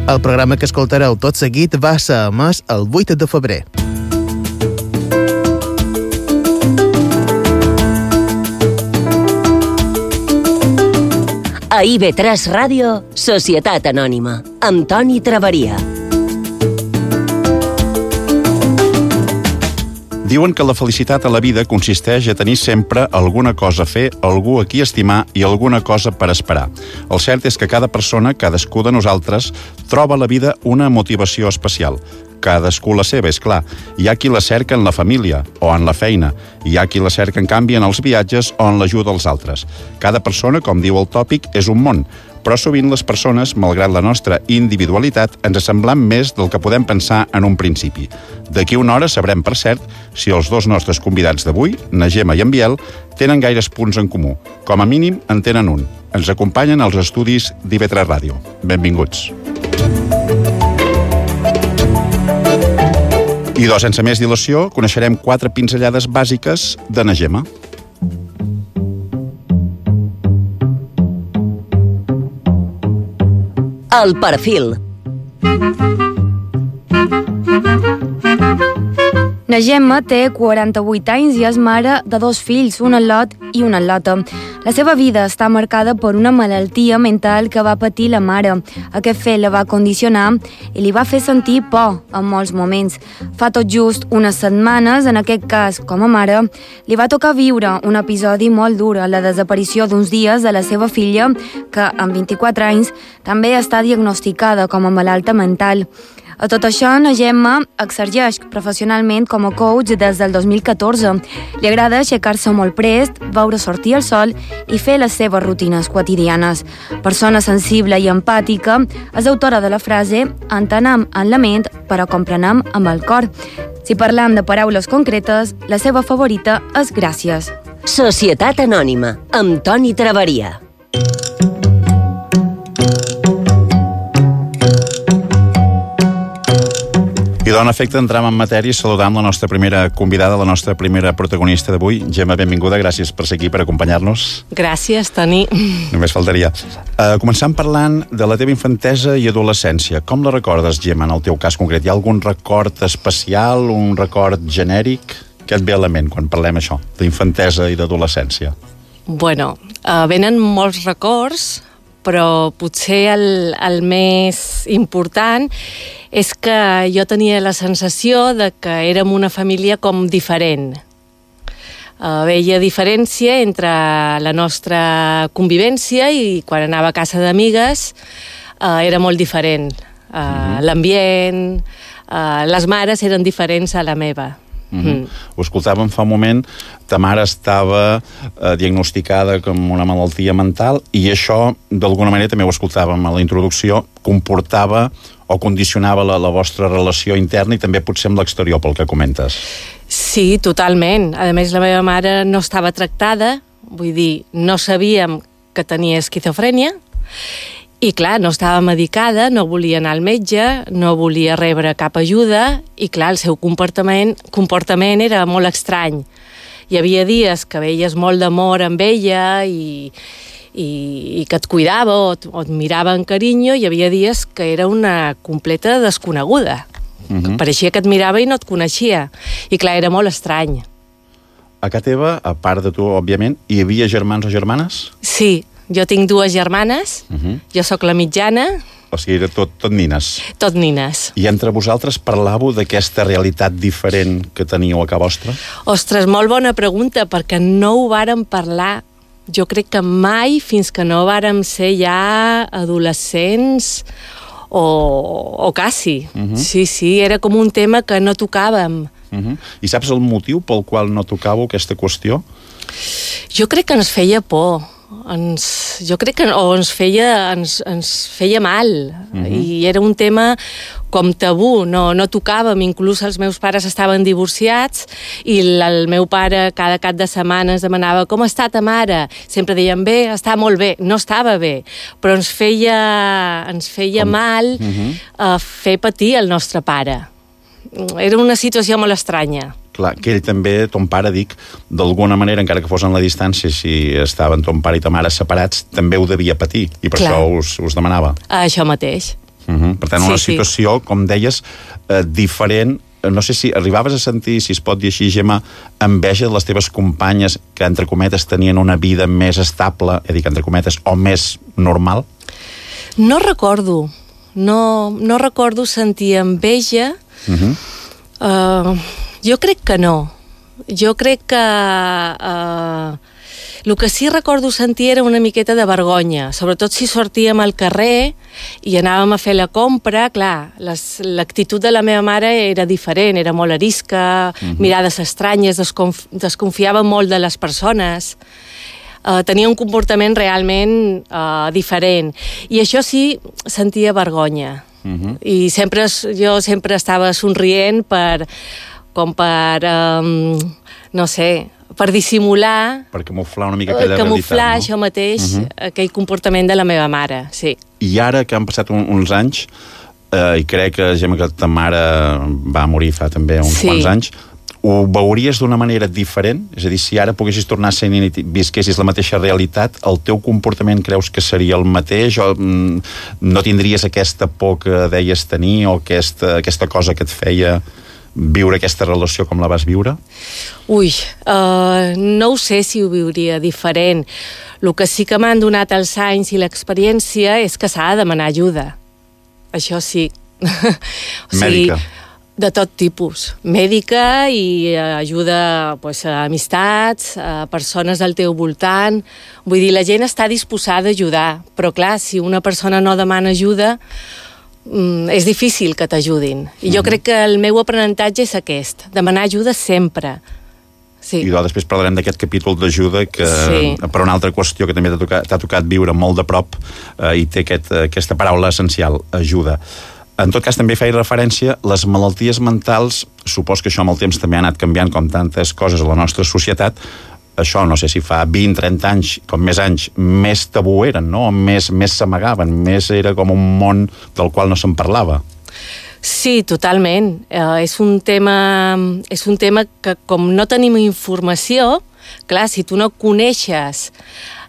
El programa que escoltareu tot seguit va ser emès el 8 de febrer. A IB3 Ràdio, Societat Anònima, amb Toni Traveria. Diuen que la felicitat a la vida consisteix a tenir sempre alguna cosa a fer, algú a qui estimar i alguna cosa per esperar. El cert és que cada persona, cadascú de nosaltres, troba a la vida una motivació especial. Cadascú la seva, és clar. Hi ha qui la cerca en la família o en la feina. Hi ha qui la cerca, en canvi, en els viatges o en l'ajuda als altres. Cada persona, com diu el tòpic, és un món. Però sovint les persones, malgrat la nostra individualitat, ens semblam més del que podem pensar en un principi. D'aquí una hora sabrem, per cert, si els dos nostres convidats d'avui, na Gemma i en Biel, tenen gaires punts en comú. Com a mínim, en tenen un. Ens acompanyen als estudis d'IB3 Ràdio. Benvinguts. I sense més dilació, coneixerem 4 pinzellades bàsiques de na Gemma. El perfil. Na Gemma té 48 anys i és mare de 2 fills, un al·lot i una al·lota. La seva vida està marcada per una malaltia mental que va patir la mare. Aquest fet la va condicionar i li va fer sentir por en molts moments. Fa tot just unes setmanes, en aquest cas com a mare, li va tocar viure un episodi molt dur, la desaparició d'uns dies de la seva filla, que amb 24 anys també està diagnosticada com a malalta mental. A tot això, na Gemma exerceix professionalment com a coach des del 2014. Li agrada aixecar-se molt prest, veure sortir el sol i fer les seves rutines quotidianes. Persona sensible i empàtica, és autora de la frase «Entenem en la ment, però comprenem amb el cor». Si parlam de paraules concretes, la seva favorita és gràcies. Societat Anònima, amb Toni Traveria. I en efecte, entrem en matèria saludant la nostra primera convidada, la nostra primera protagonista d'avui. Gemma, benvinguda, gràcies per ser aquí, per acompanyar-nos. Gràcies, Toni. Només faltaria. Començant parlant de la teva infantesa i adolescència. Com la recordes, Gemma, en el teu cas concret? Hi ha algun record especial, un record genèric? Què et ve a la ment quan parlem això, d'infantesa i d'adolescència? Bueno, venen molts records, però potser el més important és que jo tenia la sensació de que érem una família com diferent. Veia diferència entre la nostra convivència i quan anava a casa d'amigues era molt diferent. L'ambient, les mares eren diferents a la meva. Ho escoltàvem fa un moment, ta mare estava diagnosticada com una malaltia mental i això, d'alguna manera, també ho escoltàvem a la introducció, comportava o condicionava la vostra relació interna i també potser amb l'exterior, pel que comentes. Sí, totalment. A més, la meva mare no estava tractada, vull dir, no sabíem que tenia esquizofrènia, i clar, no estava medicada, no volia anar al metge, no volia rebre cap ajuda, i clar, el seu comportament era molt estrany. Hi havia dies que veies molt d'amor amb ella i que et cuidava o et mirava amb carinyo, i hi havia dies que era una completa desconeguda. Pareixia que et mirava i no et coneixia. I clar, era molt estrany. A casa teva, a part de tu, òbviament, hi havia germans o germanes? Sí. Jo tinc 2 germanes, jo sóc la mitjana. O sigui, era tot nines. Tot nines. I entre vosaltres parlàveu d'aquesta realitat diferent que teníeu a casa vostra? Ostres, molt bona pregunta, perquè no ho vàrem parlar, jo crec que mai, fins que no vàrem ser ja adolescents o quasi. Sí, era com un tema que no tocàvem. I saps el motiu pel qual no tocàveu aquesta qüestió? Jo crec que ens feia por. Jo crec que ens feia mal, i era un tema com tabú, no tocàvem, inclús els meus pares estaven divorciats i el meu pare cada cap de setmana ens demanava com està ta mare, sempre deien bé, està molt bé, no estava bé, però ens feia mal fer patir el nostre pare. Era una situació molt estranya. Clar, que ell també, ton pare, dic, d'alguna manera, encara que fos en la distància, si estaven ton pare i ta mare separats, també ho devia patir, i per això us demanava. Això mateix. Per tant, una situació, com deies, diferent. No sé si arribaves a sentir, si es pot dir així, Gemma, enveja de les teves companyes que, entre cometes, tenien una vida més estable, entre cometes, o més normal? No recordo. No recordo sentir enveja. Jo crec que no. Jo crec que el que sí recordo sentir era una miqueta de vergonya, sobretot si sortíem al carrer i anàvem a fer la compra. Clar, l'actitud de la meva mare era diferent, era molt arisca, mirades estranyes, desconfiava molt de les persones, tenia un comportament realment diferent, i això sí, sentia vergonya. I jo sempre estava somrient per no sé, per dissimular... Per camuflar una mica aquella realitat, no? Camuflar això mateix, aquell comportament de la meva mare, sí. I ara que han passat uns anys, i crec, Gemma, que ta mare va morir fa també uns quants anys, ho veuries d'una manera diferent? És a dir, si ara poguessis tornar a ser i visquessis la mateixa realitat, el teu comportament creus que seria el mateix? O no tindries aquesta por que deies tenir, o aquesta cosa que et feia viure aquesta relació com la vas viure? Ui, no ho sé si ho viuria diferent. El que sí que m'han donat els anys i l'experiència és que s'ha de demanar ajuda. Això sí. Mèdica? De tot tipus. Mèdica i ajuda a amistats, a persones al teu voltant. Vull dir, la gent està disposada a ajudar, però clar, si una persona no demana ajuda, és difícil que t'ajudin. I jo crec que el meu aprenentatge és aquest, demanar ajuda sempre. Sí. I després parlarem d'aquest capítol d'ajuda que, per una altra qüestió que també t'ha tocat viure molt de prop, i té aquesta paraula essencial, ajuda. En tot cas, també feia referència a les malalties mentals. Supos que això amb el temps també ha anat canviant, com tantes coses a la nostra societat. Això, no sé si fa 20-30 anys, com més anys, més tabú eren, no? Més s'amagaven, més era com un món del qual no se'n parlava. Sí, totalment. És un tema que, com no tenim informació, clar, si tu no coneixes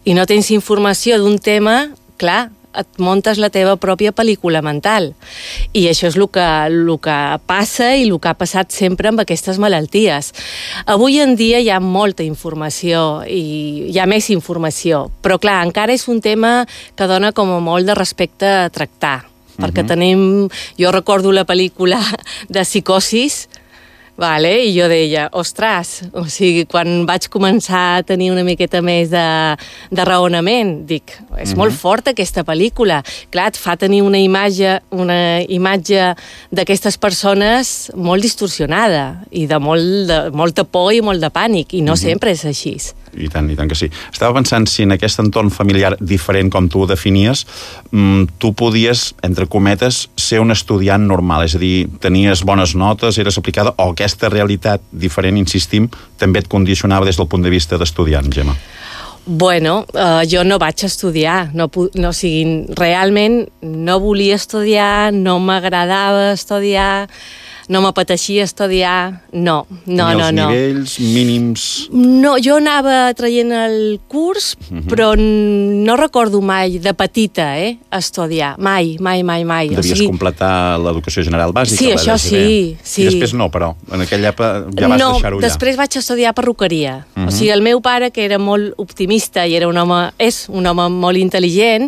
i no tens informació d'un tema, clar, et muntes la teva pròpia pel·lícula mental. I això és el que passa i el que ha passat sempre amb aquestes malalties. Avui en dia hi ha molta informació i hi ha més informació, però clar, encara és un tema que dona com a molt de respecte a tractar, perquè jo recordo la pel·lícula de Psicosis, i jo deia, ostres, o sigui, quan vaig començar a tenir una miqueta més de raonament, dic, és molt forta aquesta pel·lícula. Clar, et fa tenir una imatge d'aquestes persones molt distorsionada i de molta por i molt de pànic, i no sempre és així. I tant que sí. Estava pensant si en aquest entorn familiar diferent com tu ho definies, tu podies, entre cometes, ser un estudiant normal, és a dir, tenies bones notes, eres aplicada, o aquesta realitat diferent, insistim, també et condicionava des del punt de vista d'estudiant, Gemma? Bueno, jo no vaig estudiar, realment no volia estudiar, no m'agradava estudiar, no m'apeteixia estudiar, no. Ni els nivells mínims? No, jo anava traient el curs, però no recordo mai, de petita, estudiar. Mai. Devies completar l'educació general bàsica? Sí, això sí. I després no, però? En aquella època ja vas deixar-ho allà? No, després vaig estudiar perruqueria. O sigui, el meu pare, que era molt optimista i és un home molt intel·ligent,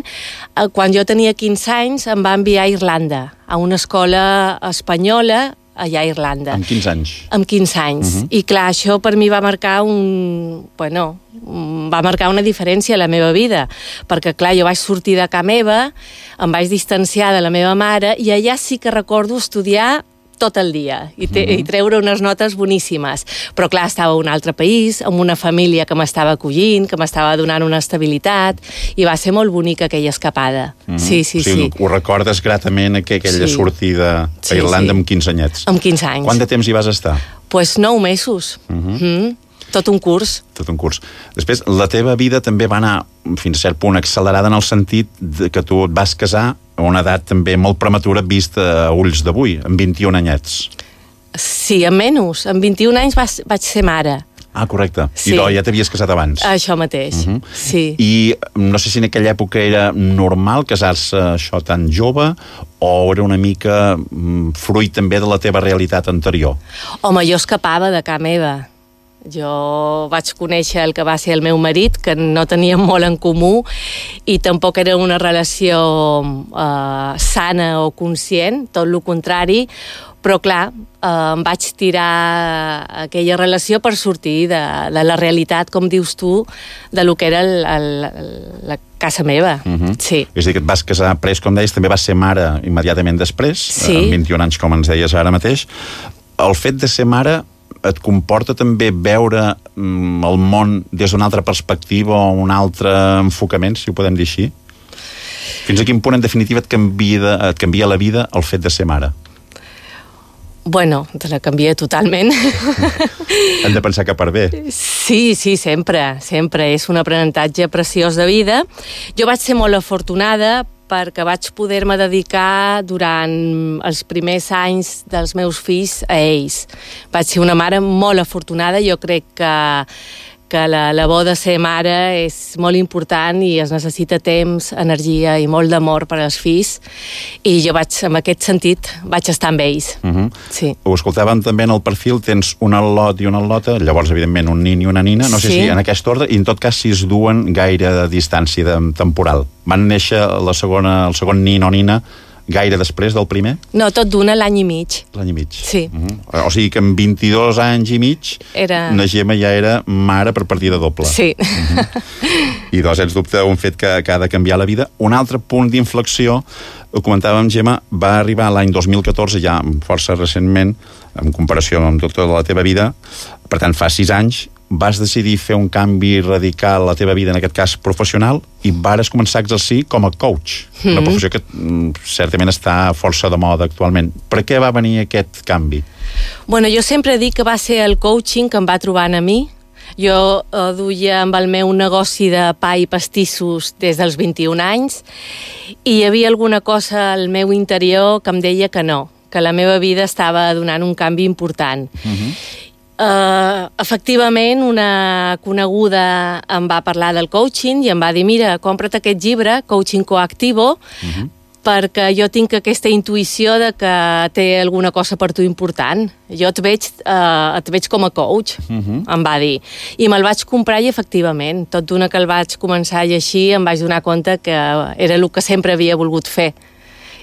quan jo tenia 15 anys em va enviar a Irlanda, a una escola espanyola, allà a Irlanda. Amb 15 anys? Amb 15 anys. I clar, això per mi va marcar una diferència a la meva vida, perquè clar, jo vaig sortir de casa meva, em vaig distanciar de la meva mare, i allà sí que recordo estudiar tot el dia i treure unes notes boníssimes. Però clar, estava a un altre país, amb una família que m'estava acollint, que m'estava donant una estabilitat, i va ser molt bonica aquella escapada. Sí. Ho recordes gratament, aquella sortida a Irlanda amb 15 anyets? Amb 15 anys. Quant de temps hi vas estar? Doncs 9 mesos. Tot un curs. Després, la teva vida també va anar fins a cert punt accelerada en el sentit que tu et vas casar a una edat també molt prematura vista a ulls d'avui, amb 21 anyets. Sí, amb menys. Amb 21 anys vaig ser mare. Ah, correcte. Sí. I ja t'havies casat abans. Això mateix, sí. I no sé si en aquella època era normal casar-se això tan jove o era una mica fruit també de la teva realitat anterior? Home, jo escapava de casa meva. Jo vaig conèixer el que va ser el meu marit, que no teníem molt en comú i tampoc era una relació sana o conscient, tot el contrari, però clar, em vaig tirar aquella relació per sortir de la realitat, com dius tu, de lo que era la casa meva. Sí. És a dir, que et vas casar pres, com deies, també vas ser mare immediatament després, amb 21 anys, com ens deies ara mateix. El fet de ser mare et comporta també veure el món des d'una altra perspectiva o un altre enfocament, si ho podem dir així? Fins a quin punt, en definitiva, et canvia la vida el fet de ser mare? Bueno, te la canvia totalment. Hem de pensar que per bé. Sí, sempre. És un aprenentatge preciós de vida. Jo vaig ser molt afortunada perquè vaig poder-me dedicar durant els primers anys dels meus fills a ells. Vaig ser una mare molt afortunada. Jo crec que la bo de ser mare és molt important i es necessita temps, energia i molt d'amor per als fills, i jo en aquest sentit vaig estar amb ells. Sí. Ho escoltàvem també en el perfil, tens un al·lot i una al·lota, llavors evidentment un nin i una nina, no sé si en aquest ordre, i en tot cas si es duen gaire de distància temporal. Van néixer el segon nin o nina gaire després del primer? No, tot d'una, l'any i mig. L'any i mig. Sí. O sigui que amb 22 anys i mig la Gemma ja era mare per partida doble. Sí. I sens dubte un fet que ha de canviar la vida. Un altre punt d'inflexió, ho comentàvem, Gemma, va arribar l'any 2014, ja força recentment, en comparació amb tota la teva vida, per tant fa 6 anys, vas decidir fer un canvi radical a la teva vida, en aquest cas professional, i vares començar a exercir com a coach, una professió que certament està força de moda actualment. Per què va venir aquest canvi? Bueno, jo sempre dic que va ser el coaching que em va trobant a mi. Jo duia amb el meu negoci de pa i pastissos des dels 21 anys i hi havia alguna cosa al meu interior que em deia que no, que la meva vida estava donant un canvi important. Efectivament, una coneguda em va parlar del coaching i em va dir, mira, compra't aquest llibre, Coaching Coactivo, perquè jo tinc aquesta intuïció de que té alguna cosa per tu important. Jo et veig com a coach, em va dir. I me'l vaig comprar i, efectivament, tot d'una que el vaig començar a llegir, em vaig donar compte que era el que sempre havia volgut fer.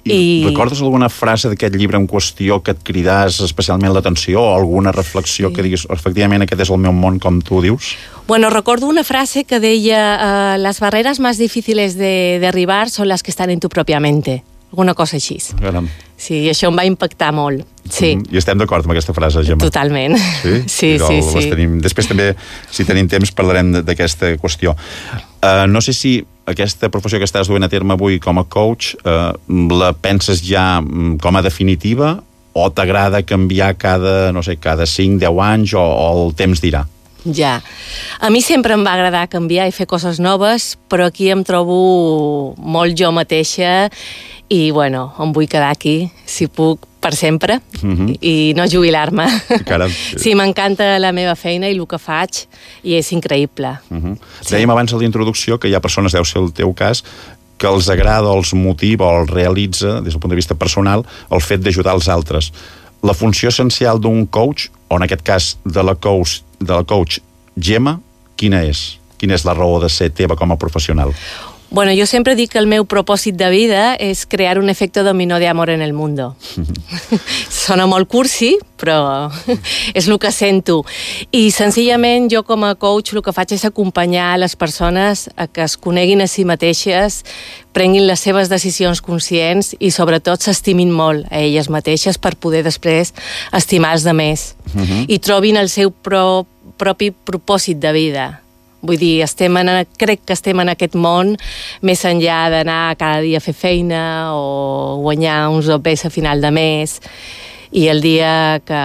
I recordes alguna frase d'aquest llibre en qüestió que et cridàs especialment l'atenció o alguna reflexió que diguis, efectivament, aquest és el meu món, com tu dius? Bueno, recordo una frase que deia las barreras más difíciles de derribar son las que están en tu propia mente. Alguna cosa així. Caram. Sí, i això em va impactar molt. Sí. I estem d'acord amb aquesta frase, Gemma? Totalment. Sí? Sí. Després també, si tenim temps, parlarem d'aquesta qüestió. No sé si aquesta professió que estàs duent a terme avui com a coach la penses ja com a definitiva o t'agrada canviar cada 5-10 anys o el temps dirà? Ja. A mi sempre em va agradar canviar i fer coses noves, però aquí em trobo molt jo mateixa i, bueno, em vull quedar aquí, si puc, per sempre, i no jubilar-me. Caram. Sí, m'encanta la meva feina i el que faig, i és increïble. Dèiem abans a la introducció que hi ha persones, deu ser el teu cas, que els agrada, els motiva o els realitza, des del punt de vista personal, el fet d'ajudar els altres. La funció essencial d'un coach, o en aquest cas de la coach Gemma, quina és? Quina és la raó de ser teva com a professional? Bueno, jo sempre dic que el meu propòsit de vida és crear un efecte dominó de amor en el mundo. Sona molt cursi, però és el que sento. I senzillament jo com a coach el que faig és acompanyar les persones a que es coneguin a si mateixes, prenguin les seves decisions conscients i sobretot s'estimin molt a elles mateixes per poder després estimar els altres. I trobin el seu propi propòsit de vida. Vull dir, crec que estem en aquest món més enllà d'anar cada dia a fer feina o guanyar uns OPs a final de mes, i el dia que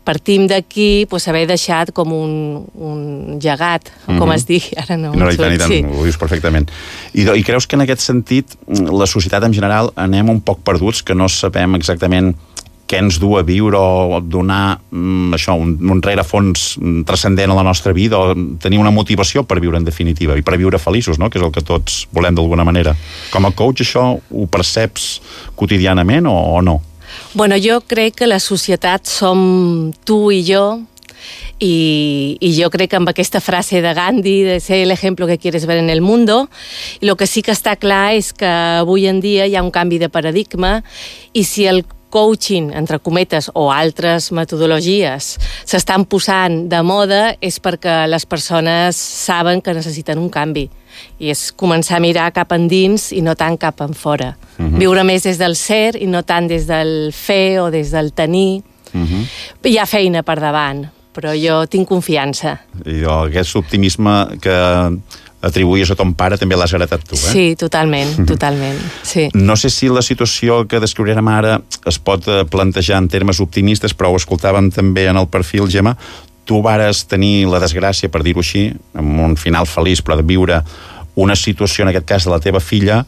partim d'aquí haver deixat com un llegat, com es digui, ara no. No, i tant, ho dius perfectament. I creus que en aquest sentit la societat en general anem un poc perduts, que no sabem exactament què ens du a viure o donar un rerefons transcendent a la nostra vida o tenir una motivació per viure en definitiva i per viure feliços, no? Que és el que tots volem d'alguna manera. Com a coach això ho perceps quotidianament o no? Bueno, jo crec que la societat som tu i jo, y yo creo que amb aquesta frase de Gandhi, de ser el ejemplo que quieres ver en el mundo, y lo que sí que està clar és que avui en dia hi ha un canvi de paradigma, i si el coaching, entre cometes, o altres metodologies s'estan posant de moda és perquè les persones saben que necessiten un canvi, i és començar a mirar cap endins i no tant cap en fora. Viure més des del ser i no tant des del fer o des del tenir. Hi ha feina per davant, però jo tinc confiança. I aquest optimisme que atribuïes a ton pare també l'has heretat tu, eh? Sí, totalment, totalment. Sí. No sé si la situació que descriurem ara es pot plantejar en termes optimistes, però ho escoltàvem també en el perfil, Gemma. Tu vares tenir la desgràcia, per dir-ho així, amb un final feliç, però de viure una situació, en aquest cas de la teva filla,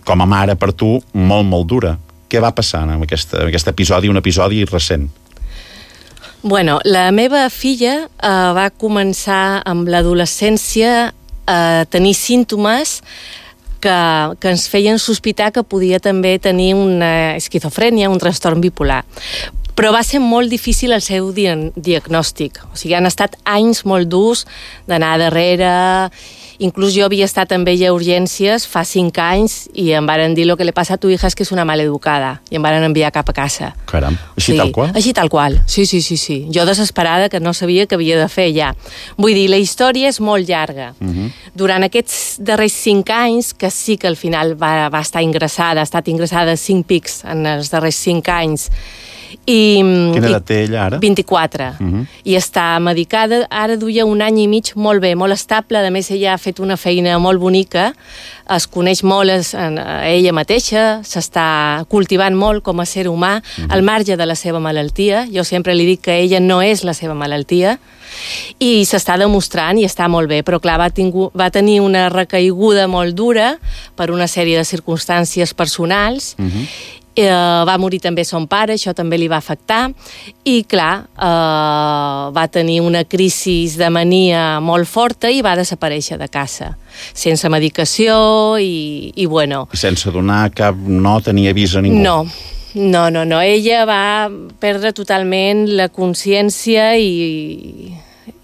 com a mare per tu, molt, molt dura. Què va passar en aquest episodi, un episodi recent? Bueno, la meva filla va començar amb l'adolescència a tenir símptomes que ens feien sospitar que podia també tenir una esquizofrènia, un trastorn bipolar. Però va ser molt difícil el seu diagnòstic. O sigui, han estat anys molt durs d'anar darrere. Inclús jo havia estat amb ella a urgències fa 5 anys i em varen dir lo que le pasa a tu hija es que és una maleducada, i em varen enviar cap a casa. Caram, així tal qual? Així tal qual, sí. Jo desesperada, que no sabia què havia de fer ja. Vull dir, la història és molt llarga. Durant aquests darrers 5 anys, que sí que al final va estar ingressada, ha estat ingressada 5 pics en els darrers 5 anys. Quina edat té ella ara? 24. I està medicada, ara duia 1 any i mig molt bé, molt estable. A més, ella ha fet una feina molt bonica, es coneix molt a ella mateixa, s'està cultivant molt com a ser humà, al marge de la seva malaltia. Jo sempre li dic que ella no és la seva malaltia, i s'està demostrant i està molt bé, però clar, va tenir una recaiguda molt dura per una sèrie de circumstàncies personals. Va morir també son pare, això també li va afectar, i clar, va tenir una crisi de mania molt forta i va desaparèixer de casa, sense medicació i bueno. I sense donar cap nota ni avís a ningú? No. Ella va perdre totalment la consciència i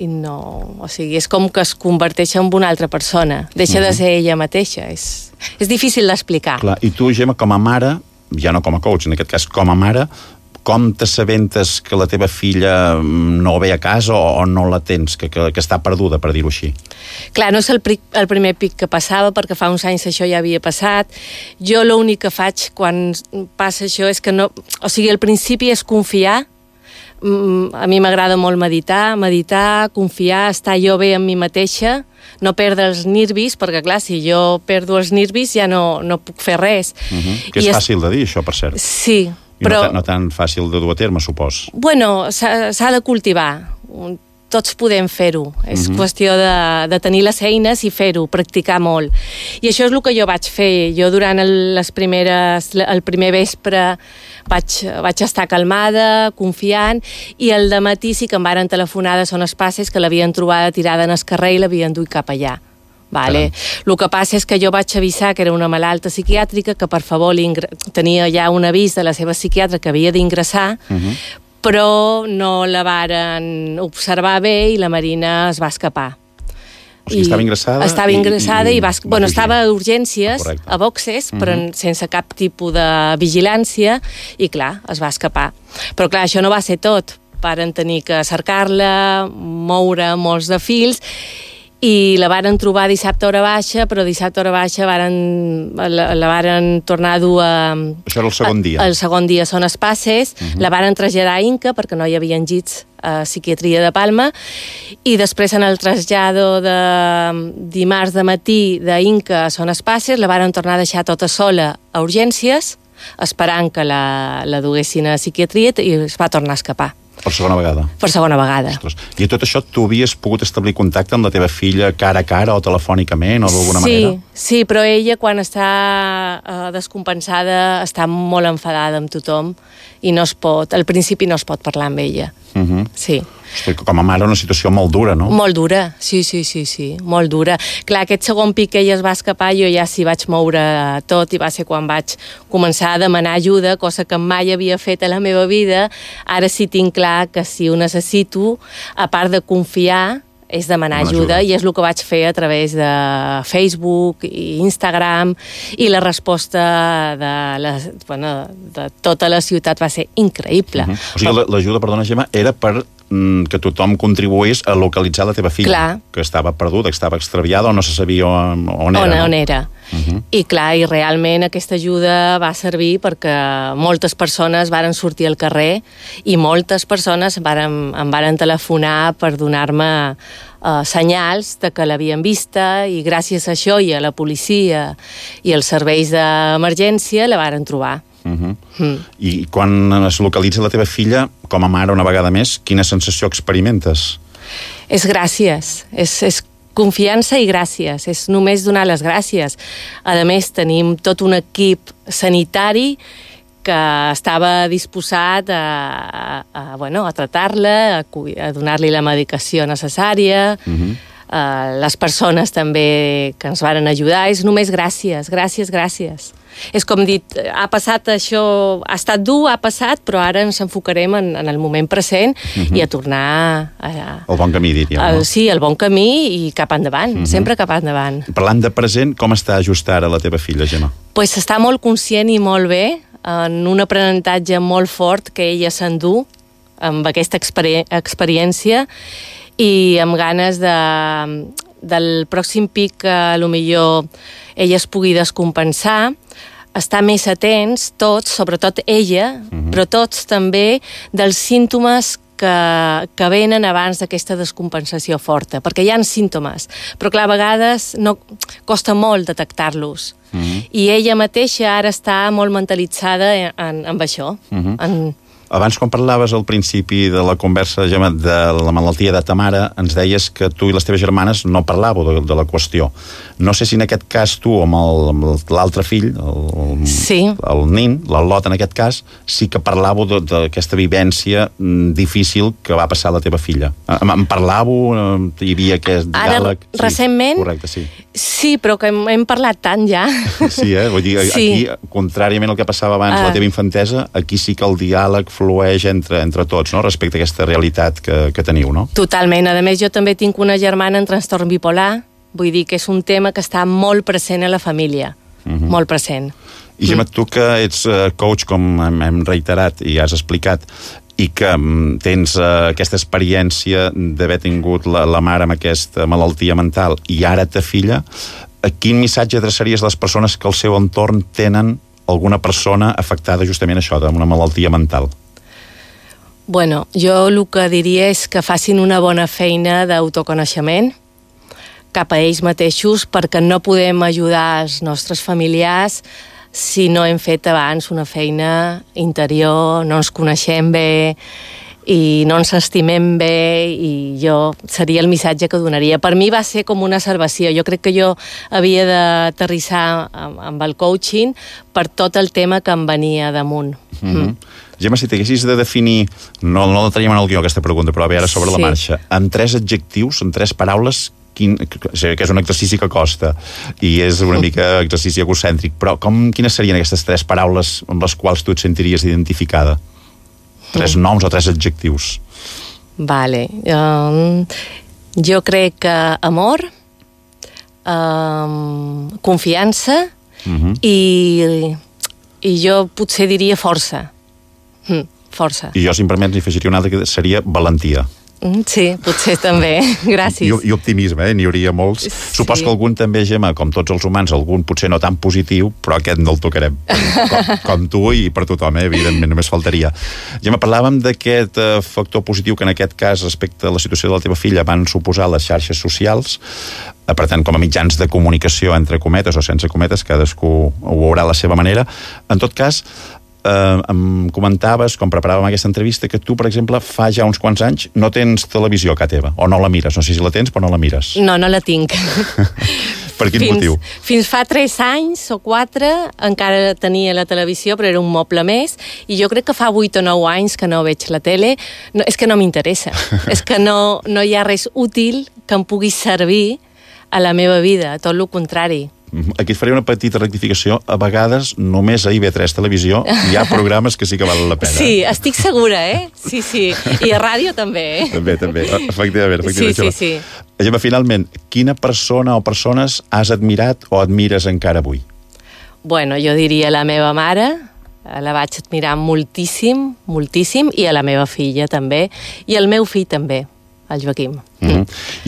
no, o sigui, és com que es converteix en una altra persona, deixa de ser ella mateixa, és difícil d'explicar. Clar, i tu, Gemma, com a mare, ja no com a coach, en aquest cas com a mare, com t'assabentes que la teva filla no ve a casa o no la tens, que està perduda, per dir-ho així? Clar, no és el primer pic que passava, perquè fa uns anys això ja havia passat. Jo l'únic que faig quan passa això és que no... O sigui, al principi és confiar. A mi m'agrada molt meditar, confiar, estar jo bé amb mi mateixa, no perdre els nervis, perquè clar, si jo perdo els nervis ja no puc fer res. Que és fàcil de dir, això, per cert. Sí, però... no tan fàcil de dur a terme, supos. Bueno, s'ha de cultivar. Tots podem fer-ho. És qüestió de tenir les eines i fer-ho, practicar molt. I això és el que jo vaig fer. Jo durant el primer vespre vaig estar calmada, confiant, i el dematí sí que em varen telefonar de Son Espases que l'havien trobada tirada en el carrer i l'havien duit cap allà. Vale. El que passa és que jo vaig avisar que era una malalta psiquiàtrica, que per favor tenia ja un avís de la seva psiquiatra que havia d'ingressar, però no la varen observar bé i la Marina es va escapar. O sigui, estava ingressada? Estava ingressada i estava a urgències, a boxes, però sense cap tipus de vigilància, i clar, es va escapar. Però clar, això no va ser tot. Varen tenir que cercar-la, moure molts de fils, i la varen trobar dissabte a hora baixa, però dissabte a hora baixa la varen tornar a dur a... Això era el segon dia? El segon dia Son Espases, la varen traslladar a Inca, perquè no hi havia llits a psiquiatria de Palma, i després en el trasllado de dimarts de matí d'Inca a Son Espases la varen tornar a deixar tota sola a urgències, esperant que la duguessin a psiquiatria, i es va tornar a escapar. Per segona vegada. Per segona vegada. Ostres. I tot això tu havies pogut establir contacte amb la teva filla cara a cara o telefònicament o d'alguna manera? Sí, però ella quan està descompensada està molt enfadada amb tothom i no es pot, al principi no es pot parlar amb ella. Sí. Hosti, com a mare una situació molt dura, no? Molt dura, sí, molt dura. Clar, aquest segon pic que ella es va escapar, jo ja s'hi vaig moure tot i va ser quan vaig començar a demanar ajuda, cosa que mai havia fet a la meva vida. Ara sí tinc clar que si ho necessito, a part de confiar, és demanar ajuda, i és el que vaig fer a través de Facebook i Instagram, i la resposta de tota la ciutat va ser increïble. O sigui, l'ajuda, perdona, Gemma, era per que tothom contribuís a localitzar la teva filla, clar, que estava perduda, que estava extraviada o no se sabia on era. On era. I clar, i realment aquesta ajuda va servir perquè moltes persones varen sortir al carrer i moltes persones em varen telefonar per donar-me senyals de que l'havien vista, i gràcies a això i a la policia i als serveis d'emergència la varen trobar. I quan es localitza la teva filla, com a mare una vegada més, quina sensació experimentes? És gràcies, és confiança i gràcies, és només donar les gràcies. A més, tenim tot un equip sanitari que estava disposat a tratar-la, a donar-li la medicació necessària, les persones també que ens varen ajudar. És només gràcies. És com dit, ha passat això, ha estat dur, ha passat, però ara ens enfocarem en el moment present i a tornar el bon camí, diríem, no? Sí, el bon camí i cap endavant, sempre cap endavant. Parlant de present, com està just ara la teva filla, Gemma? Pues està molt conscient i molt bé, en un aprenentatge molt fort que ella s'endú amb aquesta experiència, i amb ganes del pròxim pic que potser ella es pugui descompensar, estar més atents tots, sobretot ella, però tots també, dels símptomes que venen abans d'aquesta descompensació forta, perquè hi ha símptomes, però clar, a vegades costa molt detectar-los. I ella mateixa ara està molt mentalitzada amb això, Abans, quan parlaves al principi de la conversa, Gemma, de la malaltia de ta mare, ens deies que tu i les teves germanes no parlàveu de la qüestió. No sé si en aquest cas tu, amb l'altre fill, el nin, l'Al·lot en aquest cas, sí que parlàveu d'aquesta vivència difícil que va passar a la teva filla. En parlàveu? Hi havia aquest diàleg? Ara, recentment? Correcte, sí. Sí, però que hem parlat tant ja. Sí, vull dir, aquí, contràriament al que passava abans la teva infantesa, aquí sí que el diàleg flueix entre tots, no?, respecte a aquesta realitat que teniu, no? Totalment. A més, jo també tinc una germana en trastorn bipolar, vull dir que és un tema que està molt present a la família, molt present. I Gemma, tu que ets coach, com hem reiterat i has explicat, i que tens aquesta experiència d'haver tingut la mare amb aquesta malaltia mental i ara ta filla, quin missatge adreçaries a les persones que al seu entorn tenen alguna persona afectada justament això, d'una malaltia mental? Bueno, jo el que diria és que facin una bona feina d'autoconeixement cap a ells mateixos, perquè no podem ajudar els nostres familiars si no hem fet abans una feina interior, no ens coneixem bé i no ens estimem bé, i jo seria el missatge que donaria. Per mi va ser com una salvació. Jo crec que jo havia d'aterrissar amb el coaching per tot el tema que em venia damunt. Gemma, si t'haguessis de definir, no la teníem en el guió aquesta pregunta, però ara sobre la marxa, en 3 adjectius, en 3 paraules, sé que és un exercici que costa i és una mica exercici egocèntric, però quines serien aquestes 3 paraules amb les quals tu et sentiries identificada? 3 noms o 3 adjectius? Vale. Jo crec que amor, confiança i jo potser diria força. Força. I jo, si em permets, n'hi afegiria una altra que seria valentia. Sí, potser també. Gràcies. I optimisme, n'hi hauria molts. Sí. Supos que algun també, Gemma, com tots els humans, algun potser no tan positiu, però aquest no el tocarem. Com tu i per tothom, evidentment, només faltaria. Gemma, parlàvem d'aquest factor positiu que en aquest cas, respecte a la situació de la teva filla, van suposar les xarxes socials, per tant, com a mitjans de comunicació, entre cometes o sense cometes, cadascú ho veurà a la seva manera. En tot cas, em comentaves, quan preparàvem aquesta entrevista, que tu, per exemple, fa ja uns quants anys no tens televisió a casa teva, o no la mires. No sé si la tens, però no la mires. No la tinc. Per quin motiu? Fins fa 3 anys o 4 encara tenia la televisió, però era un moble més, i jo crec que fa 8 o 9 anys que no veig la tele. No, és que no m'interessa. És que no hi ha res útil que em pugui servir a la meva vida, tot el contrari. Aquí et faré una petita rectificació. A vegades, només a IB3 Televisió hi ha programes que sí que valen la pena. Sí, estic segura, Sí. I a ràdio també, També. Efectivament. Sí. Gemma, finalment, quina persona o persones has admirat o admires encara avui? Bueno, jo diria la meva mare, la vaig admirar moltíssim, i a la meva filla també, i el meu fill també, el Joaquim. I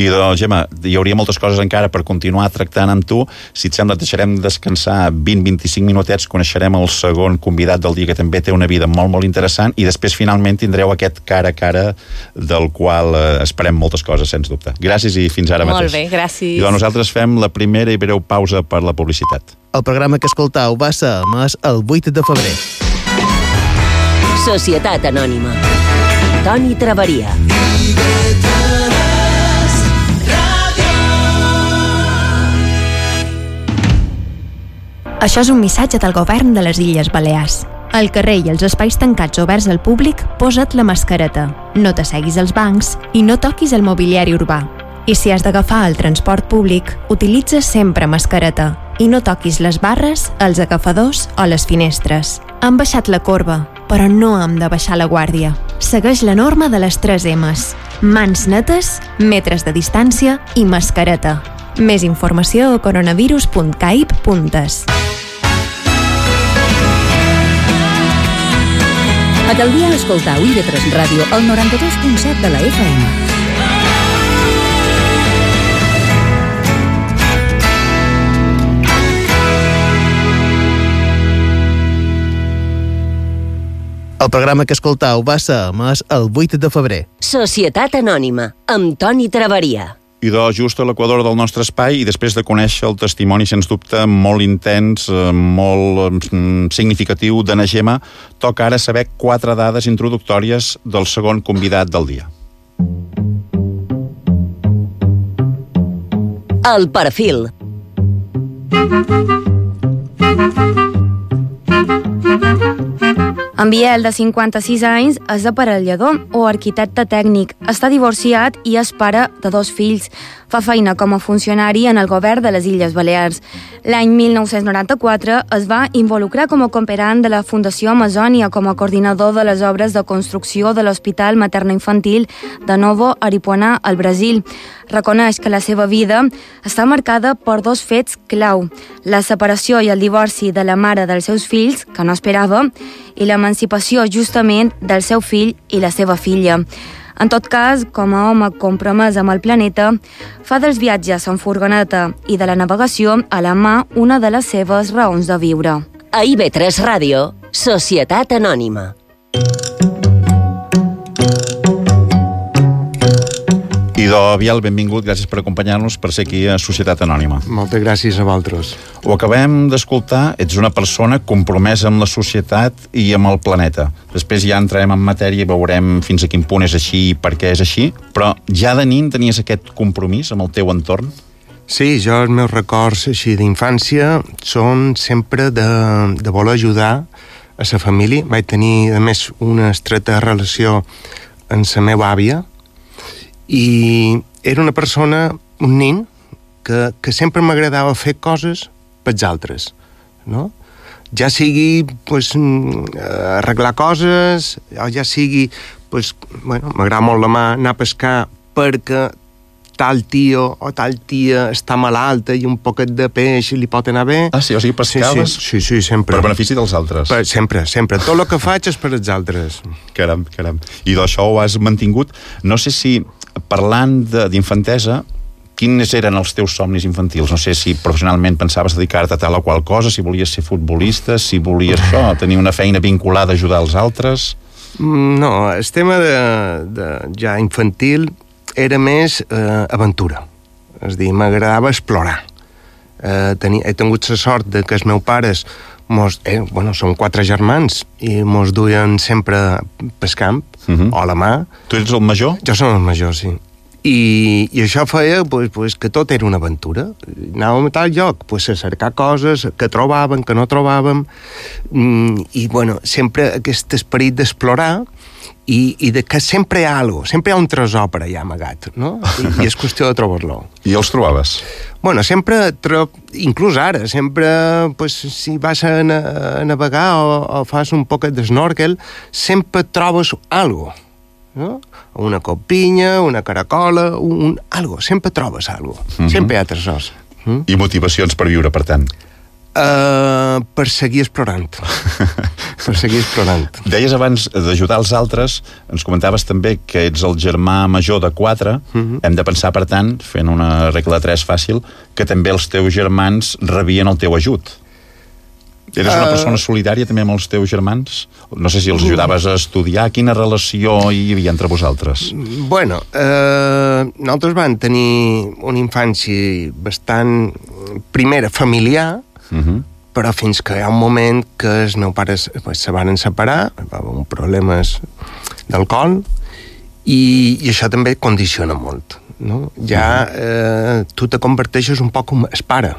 doncs, Gemma, hi hauria moltes coses encara per continuar tractant amb tu. Si et sembla, et deixarem descansar 20-25 minutets, coneixerem el segon convidat del dia, que també té una vida molt, molt interessant, i després finalment tindreu aquest cara a cara del qual esperem moltes coses, sens dubte. Gràcies i fins ara mateix. Molt bé, gràcies. I doncs nosaltres fem la primera i breu pausa per la publicitat. El programa que escoltau va ser emès el 8 de febrer. Societat Anònima. Toni Traveria. Això és un missatge del govern de les Illes Balears. Al carrer i als espais tancats oberts al públic, posa't la mascareta, no t'asseguis als bancs i no toquis el mobiliari urbà. I si has d'agafar el transport públic, utilitza sempre mascareta i no toquis les barres, els agafadors o les finestres. Han baixat la corba, però no hem de baixar la guàrdia. Segueix la norma de les 3 M's. Mans netes, metres de distància i mascareta. Més informació a coronavirus.caip.es. Aquell dia escoltau IB3 Ràdio al 92.7 de la FM. El programa que escoltau va ser emès el 8 de febrer. Societat Anònima, amb Toni Traveria. I doncs just a l'equador del nostre espai, i després de conèixer el testimoni, sens dubte, molt intens, molt significatiu de na Gemma, toca ara saber 4 dades introductòries del segon convidat del dia. El perfil. En Biel, de 56 anys, és aparellador o arquitecte tècnic. Està divorciat i és pare de 2 fills. Fa feina com a funcionari en el govern de les Illes Balears. L'any 1994 es va involucrar com a cooperant de la Fundació Amazònia com a coordinador de les obres de construcció de l'Hospital Materno-Infantil de Novo Aripuanã, al Brasil. Reconeix que la seva vida està marcada per 2 fets clau: la separació i el divorci de la mare dels seus fills, que no esperava, i l'emancipació justament del seu fill i la seva filla. En tot cas, com a home compromès amb el planeta, fa dels viatges en furgoneta i de la navegació a la mà una de les seves raons de viure. A IB3 Ràdio, Societat Anònima. Idò Biel, benvingut, gràcies per acompanyar-nos, per ser aquí a Societat Anònima. Moltes gràcies a vosaltres. Ho acabem d'escoltar, ets una persona compromesa amb la societat i amb el planeta. Després ja entrarem en matèria i veurem fins a quin punt és així i per què és així, però ja de nin tenies aquest compromís amb el teu entorn? Sí, jo els meus records així d'infància són sempre de voler ajudar a la família. Vaig tenir, a més, una estreta relació amb la meva àvia, i era una persona, un nen, que sempre m'agradava fer coses pels altres, no? Ja sigui arreglar coses, o ja sigui, m'agrada molt la mà anar a pescar perquè tal tio o tal tia està malalta i un poquet de peix li pot anar bé. Ah, sí? O sigui, pescaves? Sí, sempre. Per benefici dels altres? Sempre. Tot el que faig és per als altres. Caram. I d'això ho has mantingut. No sé si, parlant d'infantesa, quins eren els teus somnis infantils? No sé si professionalment pensaves dedicar-te a tal o qual cosa, si volies ser futbolista, si volies tenir una feina vinculada a ajudar els altres. No, el tema de ja infantil era més aventura. És a dir, m'agradava explorar. He tingut la sort de que els meus pares som 4 germans i mos duien sempre pel camp, o a la mà. Tu ets el major? Jo som el major, sí. I això feia que tot era una aventura. Anàvem a tal lloc a cercar coses que trobàvem, que no trobàvem, i sempre aquest esperit d'explorar i de que sempre hi ha alguna cosa, sempre hi ha un tresor per allà amagat, no? I és qüestió de trobar-lo. I els trobaves? Sempre, inclús ara, sempre, si vas a navegar o fas un poquet d'snorkel, sempre trobes alguna cosa, no? Una copinya, una caracola, algo, sempre trobes alguna cosa. Sempre hi ha tresors. I motivacions per viure, per tant? Per seguir explorant. Per seguir explorant. Deies abans d'ajudar els altres, ens comentaves també que ets el germà major de 4. Hem de pensar, per tant, fent una regla de 3 fàcil, que també els teus germans rebien el teu ajut. Eres una persona solidària també amb els teus germans? No sé si els ajudaves a estudiar. Quina relació hi havia entre vosaltres? Nosaltres vam tenir una infància bastant, primera, familiar, però fins que hi ha un moment que els meus pares se van separar, va haver problemes d'alcohol, i això també condiciona molt, no? Ja tu te converteixes un poc com el pare,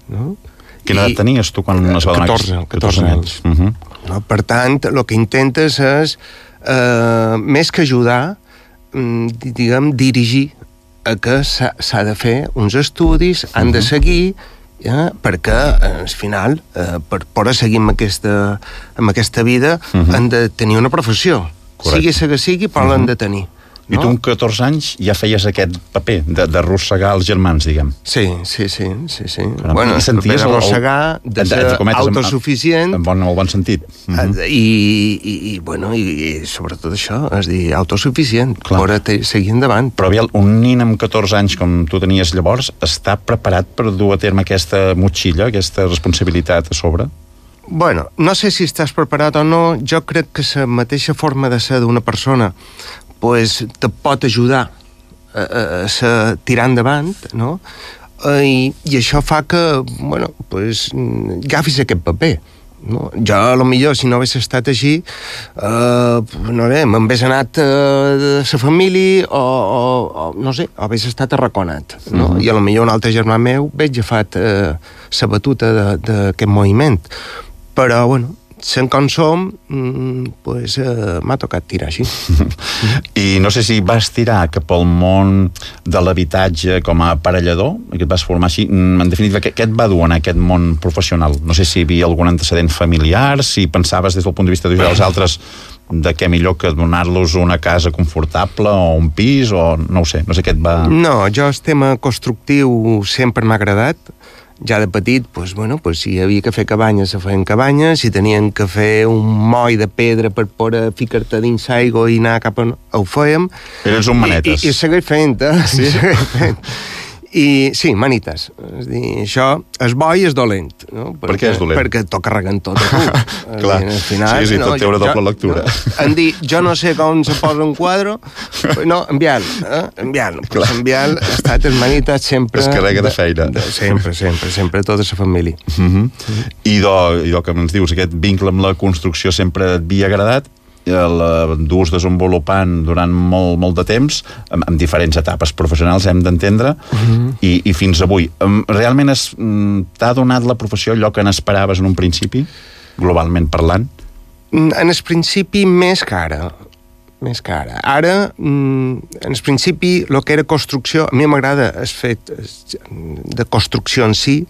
no? Quina edat tenies tu quan es va donar? 14 anys. No? Per tant, el que intentes és, més que ajudar, diguem, dirigir a que s'ha de fer uns estudis, han de seguir, perquè al final, per poder seguir amb aquesta vida, han de tenir una professió. Sigui la que sigui, però l'han de tenir. I tu amb 14 anys ja feies aquest paper d'arrossegar els germans, diguem. Sí. Bueno, el paper d'arrossegar, de ser autosuficient. En bon sentit. I sobretot això, és dir, autosuficient, per seguir endavant. Però un nin amb 14 anys, com tu tenies llavors, està preparat per dur a terme aquesta motxilla, aquesta responsabilitat a sobre? Bueno, no sé si estàs preparat o no. Jo crec que la mateixa forma de ser d'una persona te pot ajudar a tirar endavant, no? I això fa que, agafis aquest paper, no? Jo, potser, si no hagués estat així, m'hagués anat de la família o no sé, hagués estat arraconat, no? I potser un altre germà meu hagués agafat la batuta d'aquest moviment. Però, sent com som, m'ha tocat tirar així. I no sé si vas tirar cap al món de l'habitatge com a aparellador, que et vas formar així. En definitiva, què et va dur en aquest món professional? No sé si hi havia algun antecedent familiar, si pensaves des del punt de vista d'ajudar els altres de què millor que donar-los una casa confortable o un pis, o no ho sé, no sé què et va... No, jo el tema constructiu sempre m'ha agradat. Ja de petit, si hi havia que fer cabanyes, se feien cabanyes, si tenien que fer un moll de pedra per poder ficar-te dins l'aigua i anar cap a... ho fèiem. Eres un manetes. I segueix fent, Sí? I sí, manites. És dir, això és bo i és dolent, no? Per què és dolent? Perquè t'ho carreguen tot a tu. Clar, sí, tot té una doble lectura. Han dit, jo no sé com se posa un quadre, no, enviant-lo. Enviant ha estat les manites sempre... Es carrega de feina. Sempre, tota la família. I do que ens dius, aquest vincle amb la construcció sempre et havia agradat, l'endús desenvolupant durant molt de temps, amb diferents etapes professionals, hem d'entendre, i fins avui. Realment t'ha donat la professió allò que n'esperaves en un principi, globalment parlant? En el principi més que ara. Ara, en el principi, el que era construcció, a mi m'agrada el fet de construcció en si,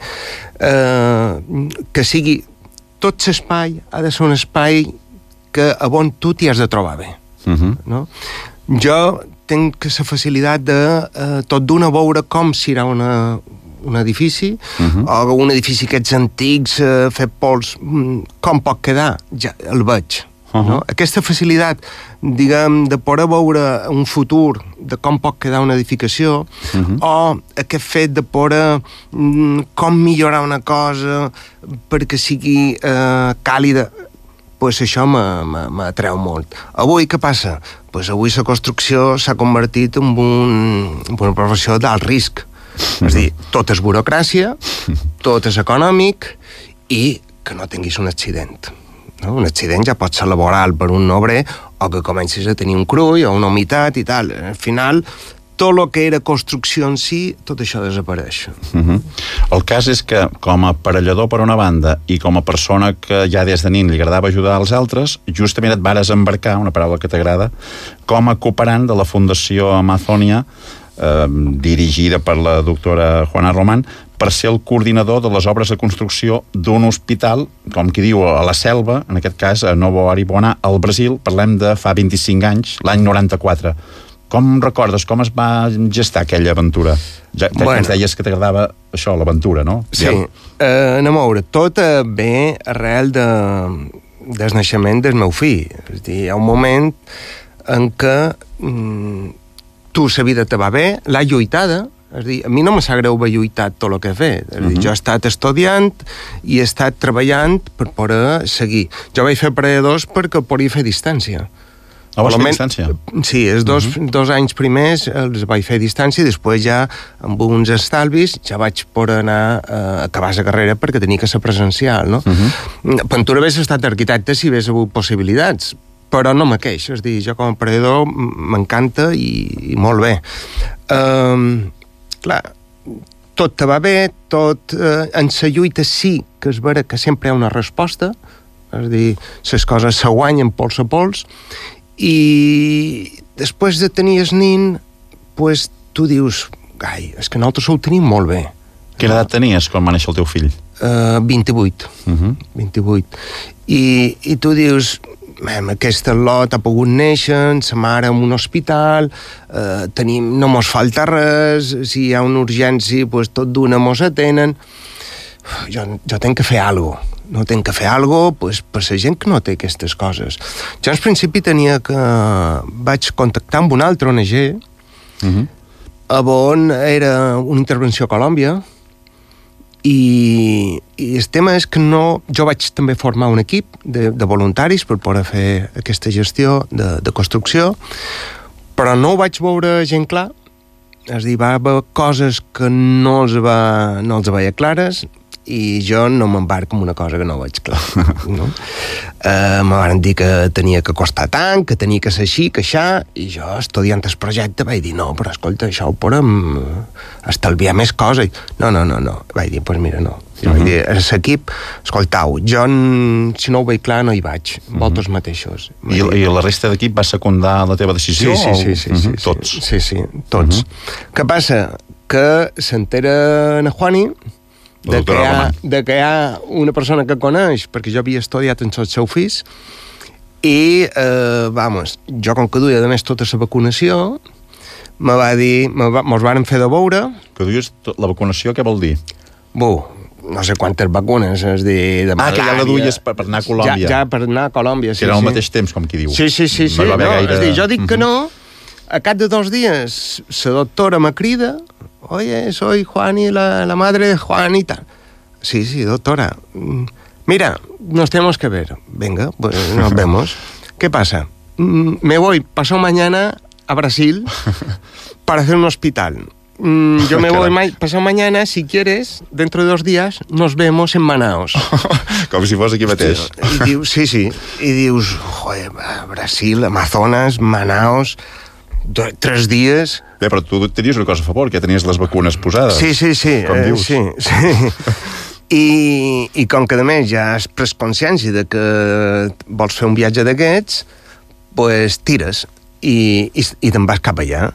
que sigui tot l'espai, ha de ser un espai que a on tu t'hi has de trobar bé. No? Jo tinc la facilitat de tot d'una veure com serà un edifici, o un edifici aquests antics, fet pols, com pot quedar, ja el veig. No? Aquesta facilitat, diguem, de poder veure un futur de com pot quedar una edificació, o aquest fet de poder com millorar una cosa perquè sigui càlida, això m'atreu molt. Avui què passa? Avui la construcció s'ha convertit en una professió d'alt risc. És a dir, tot és burocràcia, tot és econòmic, i que no tinguis un accident. No? Un accident ja pot ser laboral per un obrer o que comencis a tenir un crull o una humitat i tal. Al final, tot el que era construcció en si, tot això desapareix. El cas és que, com a aparellador per una banda i com a persona que ja des de nin li agradava ajudar als altres, justament et vares embarcar, una paraula que t'agrada, com a cooperant de la Fundació Amazonia, dirigida per la doctora Juana Román, per ser el coordinador de les obres de construcció d'un hospital, com qui diu, a la selva, en aquest cas a Novo Aripuanã, al Brasil. Parlem de fa 25 anys, l'any 94. Com recordes, com es va gestar aquella aventura? Ja ens deies que t'agradava això, l'aventura, no? Sí, anem a veure, tot ve arrel del naixement del meu fill. És a dir, hi ha un moment en què tu la vida te va bé, l'ha lluitada. És a dir, a mi no me sap greu haver lluitat tot el que he fet. És a dir, jo he estat estudiant i he estat treballant per poder seguir. Jo vaig fer aparelladors perquè podia fer distància. Vas fer distància? Sí, els dos anys primers els vaig fer distància i després ja, amb uns estalvis, ja vaig poder anar a acabar la carrera perquè tenia que ser presencial, no? Pentura hagués estat arquitecte si hagués hagut possibilitats, però no me queixo. És a dir, jo com a aparellador m'encanta i molt bé. Clar, tot te va bé, tot en la lluita sí que és vera que sempre hi ha una resposta, és a dir, les coses se guanyen pols a pols, i després de tenir el nin, pues, tu dius, ai, és que nosaltres ho tenim molt bé. Quina edat tenies quan va néixer el teu fill? 28. 28. I tu dius, aquesta lot ha pogut néixer, sa mare en un hospital, no mos falta res, si hi ha una urgència, pues, tot d'una mos atenen. Jo tenc que fer alguna cosa. No tenc que fer alguna cosa, pues, per la gent que no té aquestes coses. Jo al principi vaig contactar amb un altre ONG, on era una intervenció a Colòmbia, i el tema és que jo vaig també formar un equip de voluntaris per poder fer aquesta gestió de construcció, però no ho vaig veure gent clar. És a dir, va haver coses que no els veia clares, i jo no m'embarco en una cosa que no veig clar. No? Me van dir que tenia que costar tant, que tenia que ser així, que això, i jo, estudiant el projecte, vaig dir, no, però escolta, això ho podem estalviar més coses. No. Vaig dir, doncs mira, no. Vaig dir, a l'equip, escoltau, jo, si no ho veig clar, no hi vaig, vosaltres mateixos. I la resta d'equip va secundar la teva decisió? Sí. Tots? Sí, tots. Què passa? Que s'entera na Juani de que hi ha una persona que coneix, perquè jo havia estudiat en els seus fills, i, jo com que duia, a més, tota la vacunació, me va dir, mos van fer de veure... Que duies la vacunació, què vol dir? No sé quantes vacunes, és a dir, de malària... que ja la duies per anar a Colòmbia. Ja per anar a Colòmbia, sí. Que era al mateix temps, com qui diu. Sí. No, és a dir, jo dic que no, a cap de 2 dies, la doctora me crida, oye, soy Juani, la madre de Juan y tal. Sí, doctora. Mira, nos tenemos que ver. Venga, pues nos vemos. ¿Qué pasa? Me voy pasado mañana a Brasil para hacer un hospital. Yo me voy pasado mañana, si quieres, dentro de 2 días, nos vemos en Manaus. Com si fos aquí mateix. I dius, sí. I dius, joder, Brasil, Amazonas, Manaus... 3 dies... Bé, però tu tenies una cosa a favor, que tenies les vacunes posades. Sí. Com dius. Sí. I com que, a més, ja has pres consciència de que vols fer un viatge d'aquests, pues tires i te'n vas cap allà.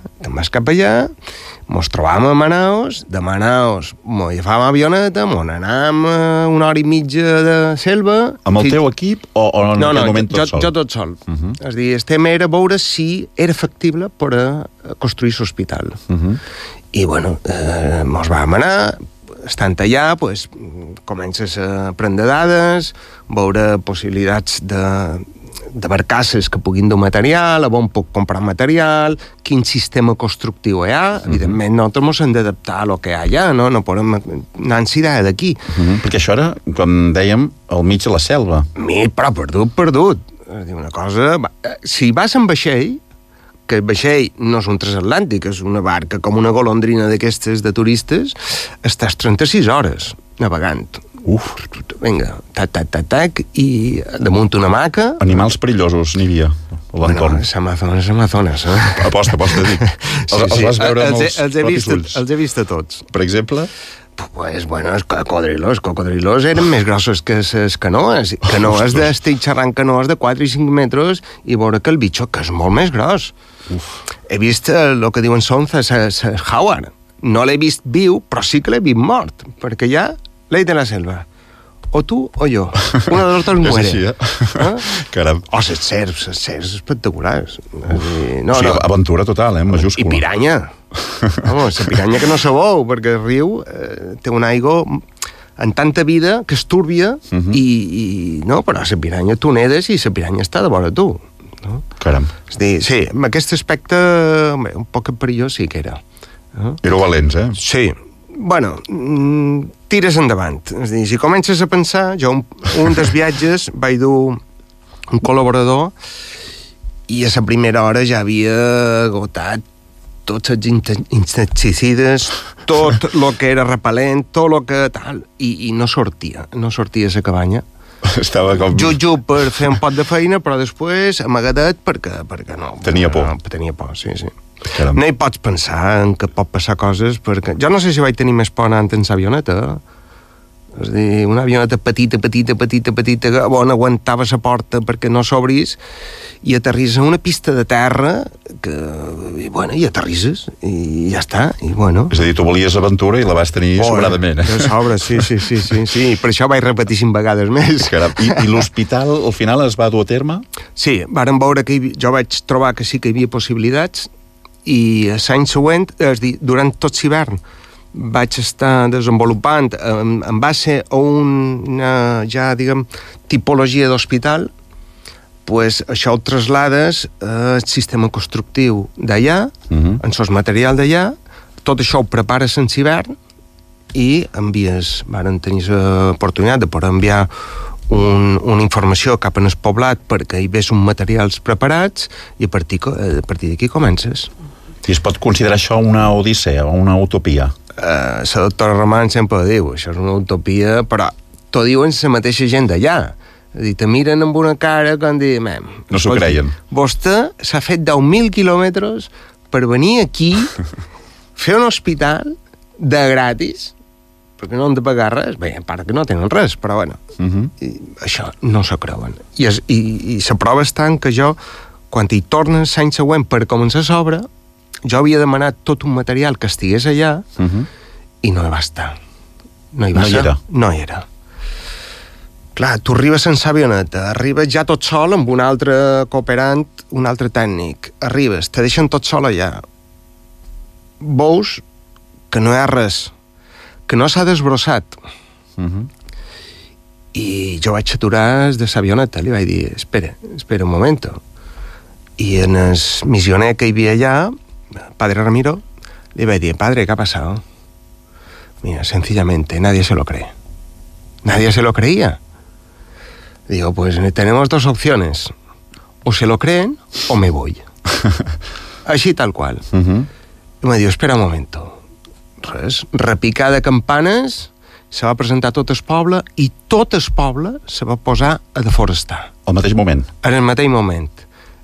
Mos trobàvem a Manaus, de Manaus mos agafàvem avioneta, mos anàvem 1 hora i mitja de selva... Amb el teu equip o en aquell moment tot sol? No, jo tot sol. És a dir, el tema era veure si era factible per a construir l'hospital. I, bueno, mos vam anar, estant allà, pues, comences a prendre dades, veure possibilitats de barcasses que puguin dur material, on puc comprar material, quin sistema constructiu hi ha. Evidentment, nosaltres ens hem d'adaptar a lo que hi ha allà, no podem anar-nos d'aquí. Perquè això era, com dèiem, al mig de la selva. Però perdut. És dir, una cosa... Si vas en vaixell, que el vaixell no és un transatlàntic, és una barca com una golondrina d'aquestes de turistes, estàs 36 hores navegant. Vinga, tac, i damunt una hamaca... Animals perillosos n'hi havia a l'entorn. Bueno, Amazones, Aposta, dic. Els vas veure amb els propis ulls. Els he vist a tots. Per exemple? Pues, bueno, els cocodrilos eren més grossos que les canoes. Estic xerrant canoes de 4 i 5 metres i veure que el bitxo, que és molt més gros. He vist el que diuen sonza, jaguar. No l'he vist viu, però sí que l'he vist mort, perquè ja ley de la selva. O tu o jo. Una de los dos muere. És així, eh? Caram. Les serps espectaculars. Aventura total, majúscula. I piranya. Vamos, la piranya que no sabeu, perquè el riu té una aigua en tanta vida que és túrbia no, però la piranya tu nedes i la piranya està de vora tu. No? Caram. És dir, sí, amb aquest aspecte un poc perillós sí que era. Éreu valents, eh? Sí. Bueno, tires endavant. És dir, si comences a pensar, jo un dels viatges vaig dur un col·laborador i a la primera hora ja havia agotat tots els insecticides, tot el que era repel·lent, tot el que tal, i no sortia a la cabanya. Estava com... Just per fer un pot de feina, però després amagadet perquè no. Tenia por. Tenia por, sí. Caram. No hi pots pensar en que pot passar coses, perquè jo no sé si vaig tenir més por anant en l'avioneta. És a dir, una avioneta petita, on aguantava la porta perquè no s'obrís, i aterrisses a una pista de terra i aterrisses, i ja està, i bueno. És a dir, tu volies aventura i la vas tenir sobradament, eh? De sobre, sí. Per això vaig repetir 5 vegades més. Caram. I l'hospital, al final, es va dur a terme? Sí, vàrem veure que jo vaig trobar que sí que hi havia possibilitats, i l'any següent, és a dir, durant tot l'hivern, vaig estar desenvolupant en base a una, ja, diguem, tipologia d'hospital, pues això ho traslades al sistema constructiu d'allà, en els materials d'allà, tot això ho prepares en l'hivern i envies, varen tenir l'oportunitat de poder enviar una informació cap en el poblat perquè hi ves uns materials preparats i a partir d'aquí comences. I es pot considerar això una odissea o una utopia? La doctora Roman sempre diu, això és una utopia, però t'ho diuen la mateixa gent d'allà. És a dir, te miren amb una cara com dir... No s'ho creien. Vostè s'ha fet 10.000 quilòmetres per venir aquí, fer un hospital de gratis, perquè no han de pagar res, bé, a part que no tenen res, però bueno, això no s'ho creuen. I la prova està en que jo, quan hi tornes l'any següent per començar l'obra, jo havia demanat tot un material que estigués allà i no hi va estar. No hi era. Clar, tu arribes sense avioneta, arribes ja tot sol amb un altre cooperant, un altre tècnic, arribes, te deixen tot sol allà. Veus que no hi ha res, que no s'ha desbrossat. I jo vaig aturar de l'avioneta, li vaig dir, espera un moment. I en el missioner que hi havia allà, Padre Ramiro, le iba a decir, padre, ¿qué ha pasado? Mira, sencillamente, nadie se lo cree. Nadie se lo creía. Digo, pues tenemos 2 opciones. O se lo creen o me voy. Així tal qual. I me diu, espera un moment. Res, repicar de campanes, se va presentar tot el poble i tot el poble se va posar a deforestar. Al mateix moment? En el mateix moment.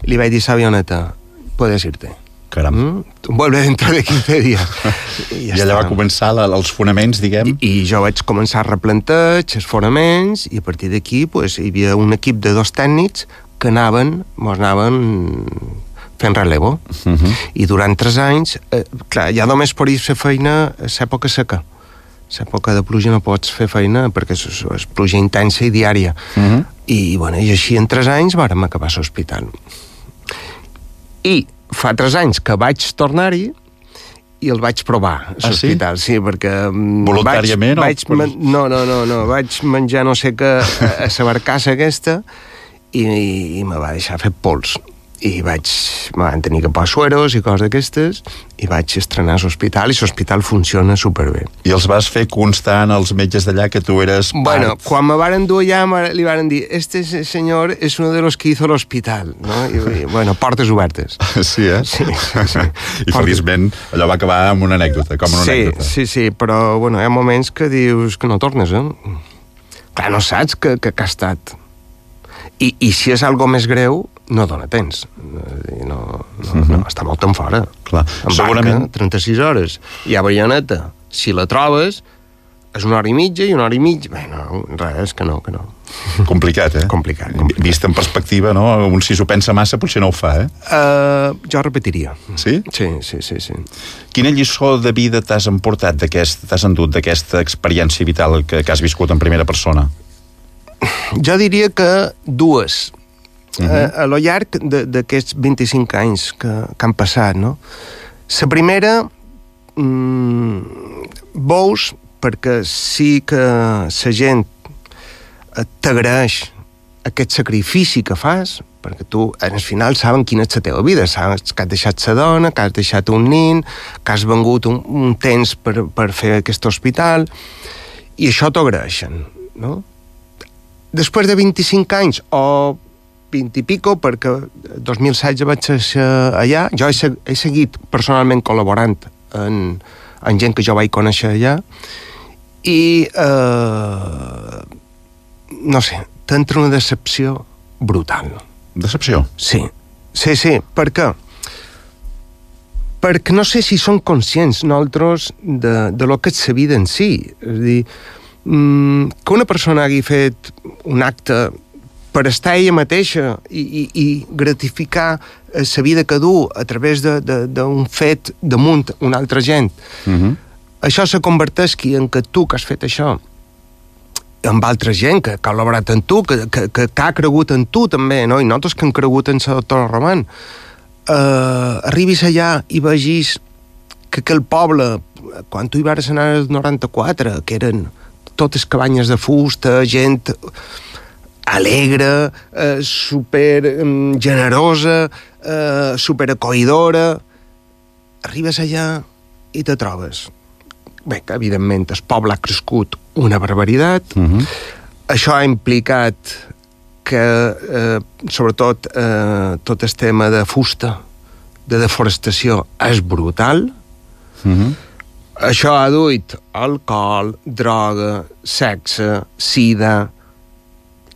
Li vaig dir a l'avioneta, puedes irte. Caram. Vuelve dentro de 15 dies. I allà va començar els fonaments, diguem. I jo vaig començar a replanteig els fonaments i a partir d'aquí pues, hi havia un equip de 2 tècnics que anaven fent relevo. I durant 3 anys, clar, ja només pots fer feina a l'època seca. A l'època de pluja no pots fer feina perquè és pluja intensa i diària. I així en 3 anys vàrem acabar l'hospital. I fa 3 anys que vaig tornar-hi i el vaig provar, l'hospital, sí, perquè... Voluntàriament? No, vaig menjar no sé què a la barcassa aquesta i me va deixar fer pols. I me van tenir que posar sueros i coses d'aquestes i vaig estrenar l'hospital i l'hospital funciona superbé. I els vas fer constant als metges d'allà que tu eres part... Bueno, quan me varen dur allà li varen dir este senyor és uno de los que hizo l'hospital, no? I portes obertes. Sí, eh? Sí. I feliçment allò va acabar amb una anècdota, com una anècdota. Sí, però hi ha moments que dius que no tornes, eh? clar, no saps que ha estat. I si és algo més greu, no dona temps. No, està molt en fora. Clar. En Segurament... barca, 36 hores. I a Bayoneta, si la trobes, és 1 hora i mitja i 1 hora i mitja. Bé, no, res, que no. Complicat, eh? Complicat. Vist en perspectiva, no? Un si s'ho pensa massa potser no ho fa, Jo repetiria. Sí? Sí. Quina lliçó de vida t'has endut d'aquesta experiència vital que has viscut en primera persona? Jo diria que 2. A lo llarg d'aquests 25 anys que han passat, no? La primera, veus, perquè sí que la gent t'agraeix aquest sacrifici que fas, perquè tu, al final, saben quina és la teva vida, saps que has deixat la dona, que has deixat un nin, que has vengut un temps per fer aquest hospital, i això t'ho agraeixen, no? Després de 25 anys, o 20 i pico, perquè 2016 vaig ser allà, jo he seguit personalment col·laborant en gent que jo vaig conèixer allà, i no sé, t'entra una decepció brutal. Decepció? Sí, per què? Perquè no sé si són conscients nosaltres de lo que és la vida en si. És a dir, que una persona hagi fet un acte per estar ella mateixa i gratificar la vida que du a través d'un fet damunt una altra gent, això se converteix en que tu que has fet això amb altra gent que ha col·laborat amb tu, que ha cregut en tu també, no? I nosaltres que hem cregut en la doctora Roman, arribis allà i vegis que aquell poble, quan tu hi vas anar el 94, que eren totes cabanyes de fusta, gent alegre, super generosa, super acollidora, arribes allà i te trobes. Bé, que evidentment el poble ha crescut una barbaritat. Això ha implicat que, sobretot, tot el tema de fusta, de deforestació, és brutal. Això ha duit alcohol, droga, sexe, sida.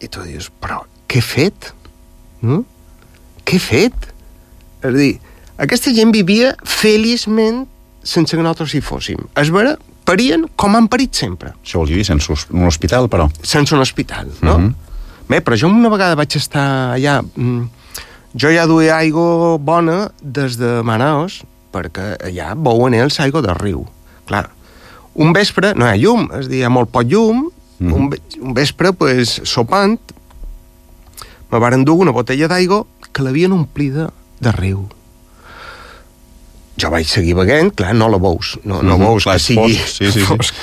I tu dius, però què he fet? Què he fet? És a dir, aquesta gent vivia feliçment sense que nosaltres hi fóssim. És vera, parien com han parit sempre. Això volia dir sense un hospital, però. Sense un hospital, no? Bé, però jo una vegada vaig estar allà... Jo ja duia aigua bona des de Manaus, perquè allà beuen ells aigua del riu. Clar, un vespre no hi ha llum, és a dir, hi ha molt poc llum, un vespre, pues, sopant, me varen dur una botella d'aigua que l'havien omplida de riu. Jo vaig seguir beguent, clar, no la veus, no veus que sigui fosc.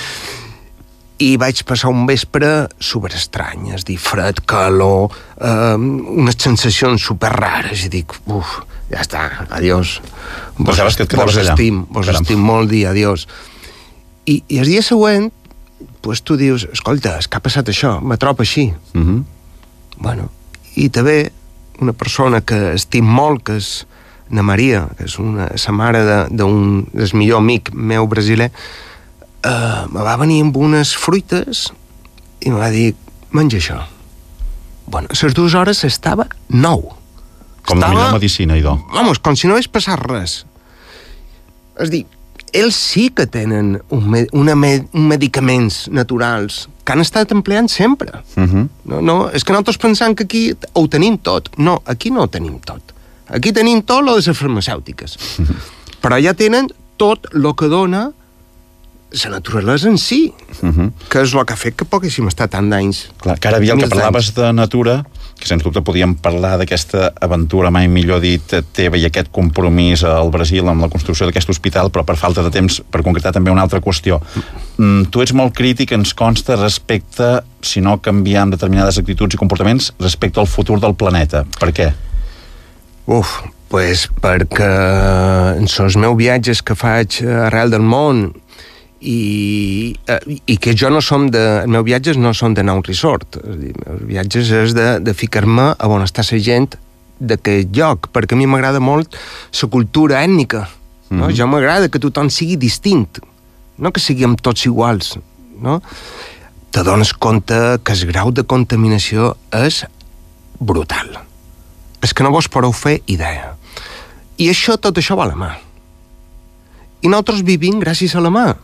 I vaig passar un vespre superestrany, és a dir, fred, calor, unes sensacions superrares, i dic, ja està, adiós. Vos estim molt, dir adiós. I el dia següent, pues, tu dius, escolta, és que ha passat això, me trobo així. Bueno, i també una persona que estim molt, que és na Maria, que és la mare del millor amic meu brasiler, me va venir amb unes fruites i me va dir, menja això. Bueno, a les 2 hores estava nou. Com la millor medicina, idò. Vamos, com si no hagués passat res. És a dir, ells sí que tenen medicaments naturals que han estat empleant sempre. No, és que nosaltres pensam que aquí ho tenim tot. No, aquí no ho tenim tot. Aquí tenim tot lo de les farmacèutiques. Però ja tenen tot el que dona la naturalesa en si, que és el que ha fet que poguéssim estar tant d'anys. Clar, que ara, Biel, que parlaves de natura, que sens dubte podíem parlar d'aquesta aventura, mai millor dit, teva i aquest compromís al Brasil amb la construcció d'aquest hospital, però per falta de temps, per concretar també una altra qüestió. Tu ets molt crític, ens consta, respecte, si no canviar determinades actituds i comportaments, respecte al futur del planeta. Per què? Pues perquè en els meus viatges que faig arrel del món i que jo no som els meus viatges no són d'anar a un resort, els viatges és de ficar-me a on està la gent d'aquest lloc, perquè a mi m'agrada molt la cultura ètnica, no? Jo m'agrada que tothom sigui distint, no que siguem tots iguals, no? te dones compte que el grau de contaminació és brutal. És que no vos podeu fer idea. I tot això va a la mà. I nosaltres vivim gràcies a la mà.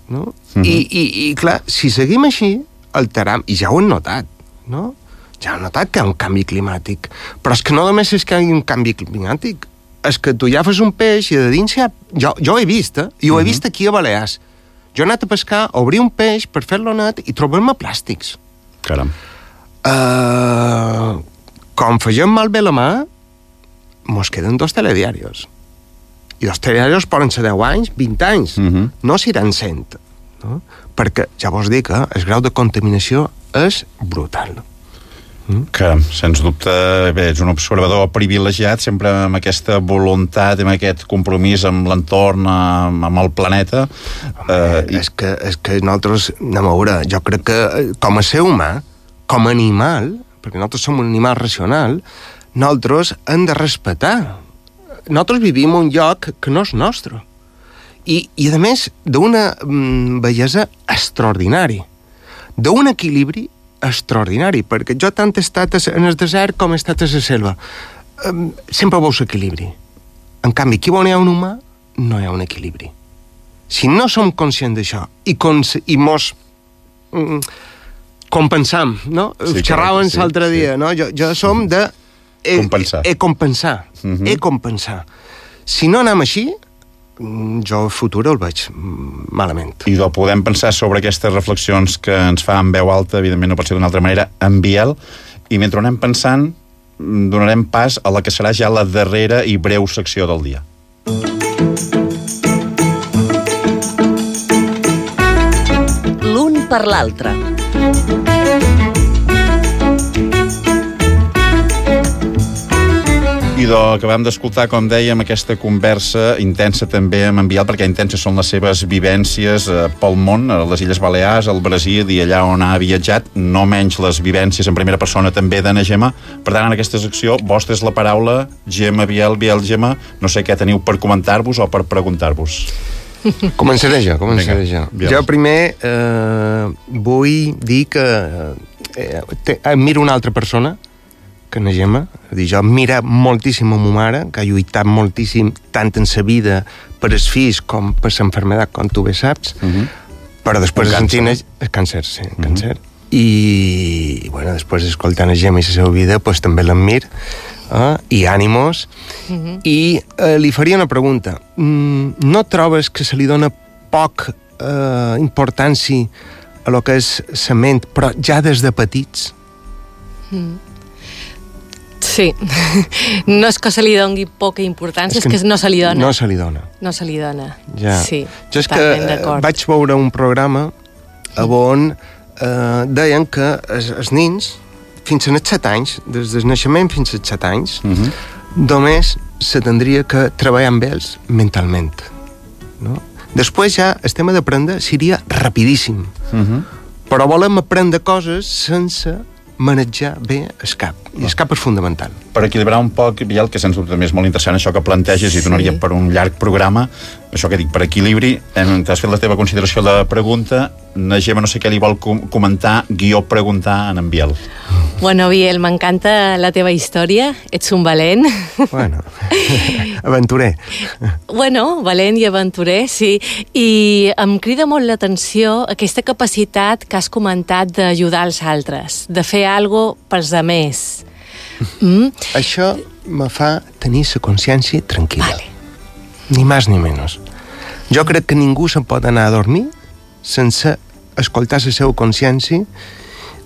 No? I clar, si seguim així, alteram, i ja ho hem notat, no? Ja hem notat que hi ha un canvi climàtic. Però és que no només és que hi ha un canvi climàtic, és que tu ja fas un peix i de dins ja... Jo ho he vist, i ho he vist aquí a Balears. Jo he anat a pescar, a obrir un peix per fer-lo net i trobem-me plàstics. Caram. Com fegem malbé la mà, mos queden 2 telediarios. I 2 telediarios poden ser 10 anys, 20 anys. No seran 100. No? Perquè ja vos dic que el grau de contaminació és brutal. Que, sens dubte, bé, ets un observador privilegiat, sempre amb aquesta voluntat, amb aquest compromís amb l'entorn, amb el planeta. És que nosaltres, anem a veure, jo crec que com a ser humà, com a animal, perquè nosaltres som un animal racional, nosaltres hem de respetar. Nosaltres vivim en un lloc que no és nostre. I a més, d'una bellesa extraordinària, d'un equilibri extraordinari, perquè jo tant he estat en el desert com he estat a la selva. Sempre veus equilibri. En canvi, aquí on hi ha un humà, no hi ha un equilibri. Si no som conscients d'això i mos compensam, no? Sí, xerràvem l'altre dia, no? Jo som de... compensar. Compensar. Si no anem així, jo el futur el veig malament. I podem pensar sobre aquestes reflexions que ens fa en veu alta, evidentment no pot ser d'una altra manera, en Biel, i mentre anem pensant donarem pas a la que serà ja la darrera i breu secció del dia. L'un per l'altre. I acabem d'escoltar, com dèiem, aquesta conversa intensa també amb en Biel, perquè intenses són les seves vivències pel món, a les Illes Balears, al Brasil i allà on ha viatjat, no menys les vivències en primera persona també d'Anna Gemma. Per tant, en aquesta secció, vostra és la paraula, Gemma, Biel, Gemma, no sé què teniu per comentar-vos o per preguntar-vos. Començaré jo. Jo primer vull dir que admiro una altra persona, que na Gemma, jo admiro moltíssim a ma mare, que ha lluitat moltíssim tant en sa vida per els fills com per l'enfermedad, com tu bé saps, però després càncer, i bueno, després escoltant a Gemma i la seva vida, pues també l'admir, i ànimos, i li faria una pregunta. No trobes que se li dona poc importància a lo que és la ment, però ja des de petits? Sí, no és que se li doni poca importància, és que no se li dona. No se li dona. No se li dona, ja. Sí, jo és que vaig veure un programa on deien que els nins, fins als 7 anys, des del naixement fins als 7 anys, només se tindria que treballar amb ells mentalment. No? Després ja el tema d'aprendre seria rapidíssim. Però volem aprendre coses sense manejar bé el cap. I el cap és fundamental. Per equilibrar un poc, Biel, que sens dubte també és molt interessant això que planteges i donaria per un llarg programa, això que dic, per equilibri, t'has fet la teva consideració de la pregunta, na Gemma no sé què li vol comentar, preguntar a en Biel. Bueno, Biel, m'encanta la teva història, ets un valent. Bueno, aventurer. Bueno, valent i aventurer, sí. I em crida molt l'atenció aquesta capacitat que has comentat d'ajudar els altres, de fer alguna cosa pels altres. Això me fa tenir la consciència tranquil·la. Vale. Ni més ni menys. Jo crec que ningú se'n pot anar a dormir sense escoltar la seva consciència.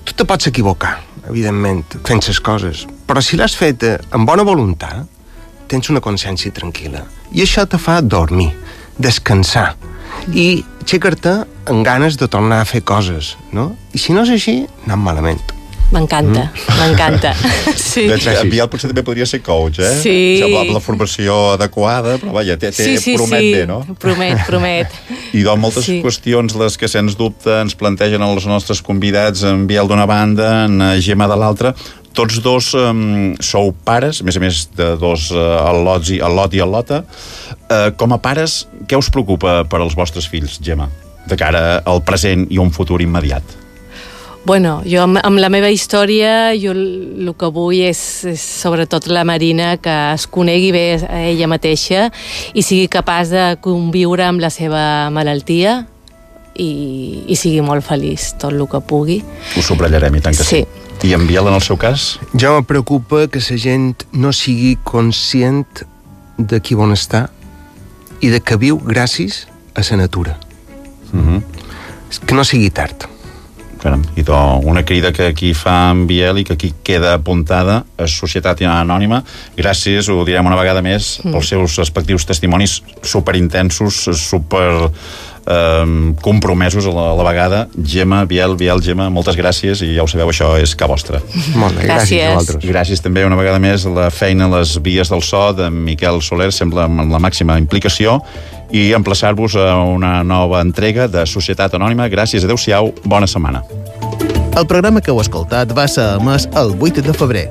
Tu te pots equivocar, evidentment, fent les coses, però si l'has fet amb bona voluntat, tens una consciència tranquil·la. I això te fa dormir, descansar, i aixecar-te amb ganes de tornar a fer coses, no? I si no és així, anem malament. M'encanta, m'encanta. Sí. En Biel potser també podria ser coach, eh? Sí. Amb la formació adequada, però vaja, promet bé, no? Promet. I doncs moltes qüestions les que sens dubte ens plantegen els nostres convidats, en Biel d'una banda, en Gemma de l'altra. Tots dos sou pares, a més de dos, el Lot i el Lota. Com a pares, què us preocupa per als vostres fills, Gemma? de cara al present i un futur immediat? Bueno, jo amb la meva història, jo el que vull és sobretot la Marina que es conegui bé a ella mateixa i sigui capaç de conviure amb la seva malaltia i sigui molt feliç tot el que pugui. Ho subratllarem, i tant que sí. I en Biel, en el seu cas? Jo me preocupa que la gent no sigui conscient de qui bon està i de que viu gràcies a la natura. Que no sigui tard. Caram, i una crida que aquí fa en Biel i que aquí queda apuntada a Societat Anònima. Gràcies, ho direm una vegada més, pels seus respectius testimonis superintensos, super compromesos a la vegada. Gemma, Biel, Gemma, moltes gràcies, i ja ho sabeu, això és ca vostra. Molt bé, gràcies a vosaltres. Gràcies també una vegada més a la feina a les vies del so de Miquel Soler, sembla amb la màxima implicació, i emplaçar-vos a una nova entrega de Societat Anònima. Gràcies, adeu-siau, bona setmana. El programa que heu escoltat va ser emès el 8 de febrer.